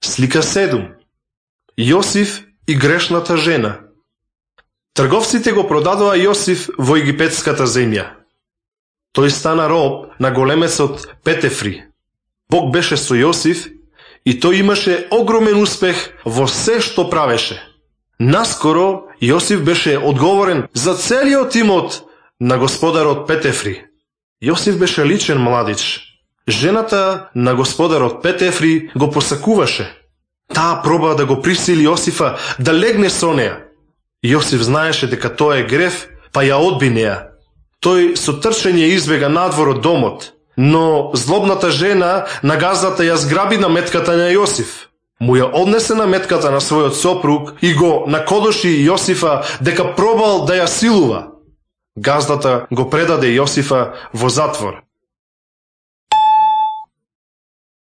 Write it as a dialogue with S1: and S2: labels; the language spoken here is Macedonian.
S1: Слика 7. Јосиф и грешната жена. Трговците го продадоа Јосиф во египетската земја. Тој стана роб на големецот Петефри. Бог беше со Јосиф и тој имаше огромен успех во се што правеше. Наскоро Јосиф беше одговорен за целиот имот на господарот Петефри. Јосиф беше личен младич. Жената на господарот Петефри го посакуваше. Таа проба да го присили Јосифа да легне со неа. Јосиф знаеше дека тоа е грев, па ја одби неа. Тој со трчење избега надвор од домот, но злобната жена на газдата ја зграби наметката на Јосиф. Му ја однесе наметката на својот сопруг и го накодоши Јосифа дека пробал да ја силува. Газдата го предаде Јосифа во затвор.